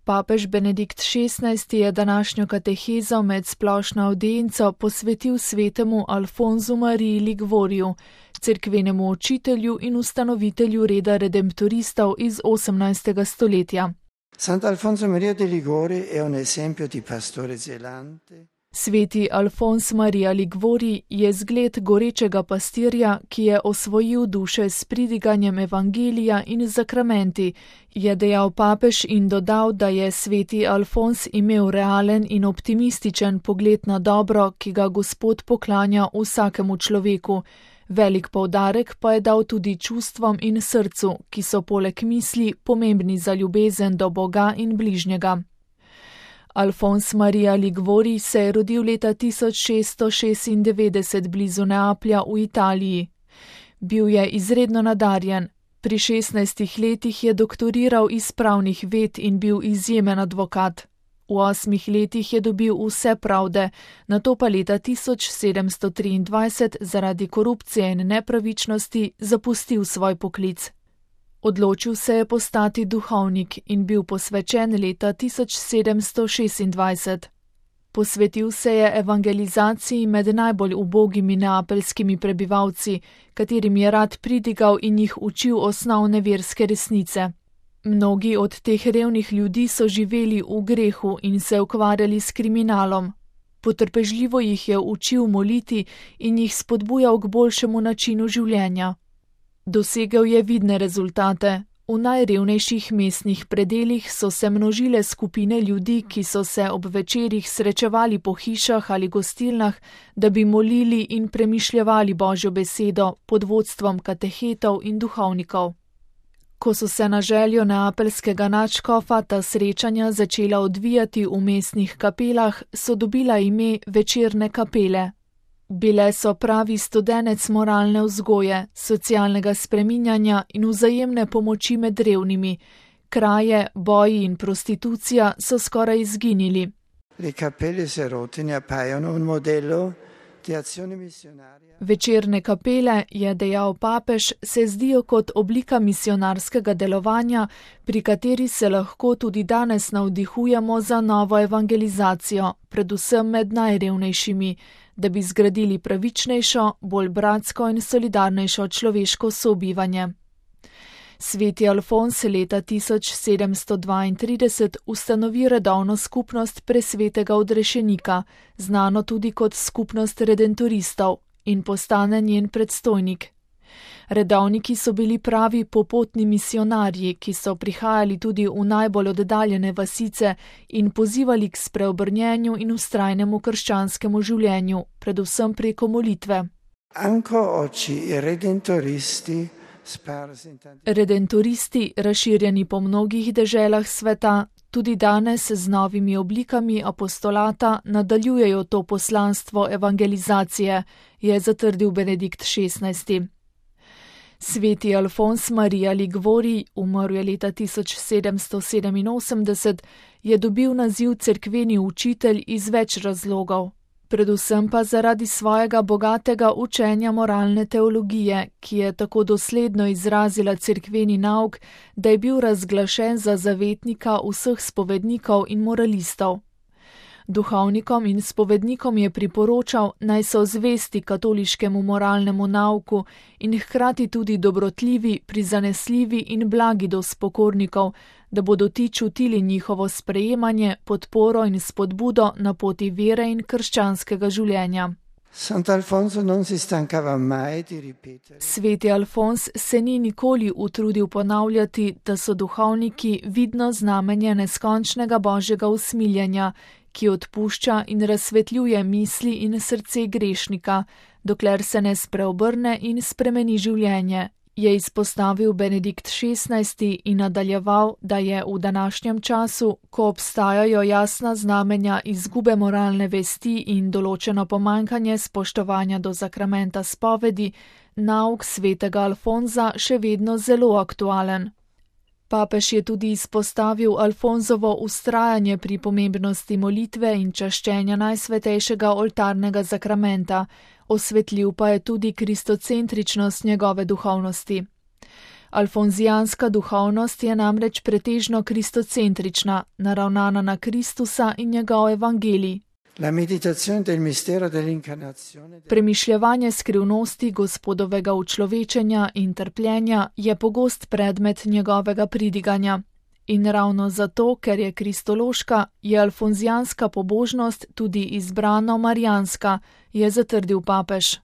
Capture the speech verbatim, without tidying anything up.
Papež Benedikt šestnajsti je današnjo katehezo med splošno avdienco posvetil svetemu Alfonzu Mariji Liguoriju, cerkvenemu učitelju in ustanovitelju reda redemptoristov iz osemnajstega stoletja. Sant'Alfonso Maria de Liguori è un esempio di pastore zelante. Sveti Alfons Marija Liguori je zgled gorečega pastirja, ki je osvojil duše s pridiganjem evangelija in zakramenti, je dejal papež in dodal, da je sveti Alfons imel realen in optimističen pogled na dobro, ki ga Gospod poklanja vsakemu človeku. Velik poudarek pa je dal tudi čustvom in srcu, ki so poleg misli pomembni za ljubezen do Boga in bližnjega. Alfons Marija Liguori se je rodil leta tisoč šeststo šestindevetdeset blizu Neaplja v Italiji. Bil je izredno nadarjen. Pri šestnajstih letih je doktoriral iz pravnih ved in bil izjemen advokat. V osmih letih je dobil vse pravde, nato pa leta tisoč sedemsto triindvajset zaradi korupcije in nepravičnosti zapustil svoj poklic. Odločil se je postati duhovnik in bil posvečen leta tisoč sedemsto šestindvajset. Posvetil se je evangelizaciji med najbolj ubogimi neapeljskimi prebivalci, katerim je rad pridigal in jih učil osnovne verske resnice. Mnogi od teh revnih ljudi so živeli v grehu in se ukvarjali s kriminalom. Potrpežljivo jih je učil moliti in jih spodbujal k boljšemu načinu življenja. Dosegel je vidne rezultate. V najrevnejših mestnih predelih so se množile skupine ljudi, ki so se ob večerih srečevali po hišah ali gostilnah, da bi molili in premišljevali Božjo besedo pod vodstvom katehetov in duhovnikov. Ko so se na željo neapeljskega nadškofa ta srečanja začela odvijati v mestnih kapelah, so dobila ime večerne kapele. Bile so pravi studenec moralne vzgoje, socialnega spreminjanja in vzajemne pomoči med revnimi. Kraje, boji in prostitucija so skoraj izginili. Večerne kapele, je dejal papež, se zdijo kot oblika misionarskega delovanja, pri kateri se lahko tudi danes navdihujemo za novo evangelizacijo, predvsem med najrevnejšimi, da bi zgradili pravičnejšo, bolj bratsko in solidarnejšo človeško sobivanje. Sveti Alfons leta tisoč sedemsto dvaintrideset ustanovi redovno skupnost presvetega odrešenika, znano tudi kot skupnost redentoristov, in postane njen predstojnik. Redovniki so bili pravi popotni misionarji, ki so prihajali tudi v najbolj oddaljene vasice in pozivali k spreobrnjenju in vztrajnemu krščanskemu življenju, predvsem preko molitve. Redentoristi, razširjeni po mnogih deželah sveta, tudi danes z novimi oblikami apostolata nadaljujejo to poslanstvo evangelizacije, je zatrdil Benedikt šestnajsti. Sveti Alfons Marija Liguori, umrl je leta tisoč sedemsto sedeminosemdeset, je dobil naziv cerkveni učitelj iz več razlogov. Predvsem pa zaradi svojega bogatega učenja moralne teologije, ki je tako dosledno izrazila cerkveni nauk, da je bil razglašen za zavetnika vseh spovednikov in moralistov. Duhovnikom in spovednikom je priporočal, naj so zvesti katoliškemu moralnemu nauku in hkrati tudi dobrotljivi, prizanesljivi in blagi do spokornikov, da bodo ti čutili njihovo sprejemanje, podporo in spodbudo na poti vere in krščanskega življenja. Sveti Alfons se ni nikoli utrudil ponavljati, da so duhovniki vidno znamenje neskončnega božjega usmiljenja, ki odpušča in razsvetljuje misli in srce grešnika, dokler se ne spreobrne in spremeni življenje, je izpostavil Benedikt šestnajsti in nadaljeval, da je v današnjem času, ko obstajajo jasna znamenja izgube moralne vesti in določeno pomanjkanje spoštovanja do zakramenta spovedi, nauk svetega Alfonza še vedno zelo aktualen. Papež je tudi izpostavil Alfonzovo vztrajanje pri pomembnosti molitve in čaščenja najsvetejšega oltarnega zakramenta, osvetlil pa je tudi kristocentričnost njegove duhovnosti. Alfonzijanska duhovnost je namreč pretežno kristocentrična, naravnana na Kristusa in njegov evangelij. La meditazione del mistero dell'incarnazione. Premišljevanje skrivnosti Gospodovega učlovečenja in trpljenja je pogost predmet njegovega pridiganja. In ravno zato, ker je kristološka, je alfonzijanska pobožnost tudi izbrano marijanska, je zatrdil papež.